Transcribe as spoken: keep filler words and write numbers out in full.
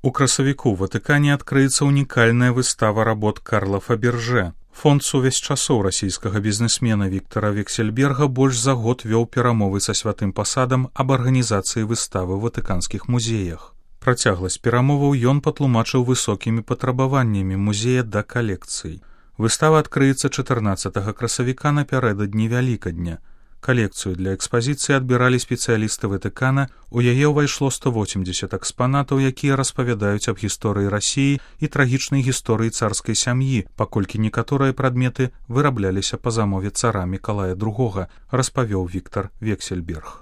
У красавіку ў Ватыкане адкрыецца унікальная выстава работ Карла Фаберже. Фонд «Сувязь часоў» расійскага бізнесмена Віктара Вексельберга больш за год вёў перамовы са святым пасадам аб арганізацыі выставы ў ватыканскіх музеях. Працягласць перамоваў ён патлумачыў высокімі патрабаваннямі музея да калекцый. Выстава адкрыецца чатырнаццатага красавіка напярэдадні Вялікадня. Калекцыю для экспазіцыі адбіралі спецыялісты Ватыкана, у яе ўвайшло сто восемьдесят экспанатаў, якія распавядаюць аб гісторыі Расіі і трагічнай гісторыі царскай сям'і, паколькі некаторыя прадметы вырабляліся па замове цара Мікалая другога, распавёў Віктар Вексельберг.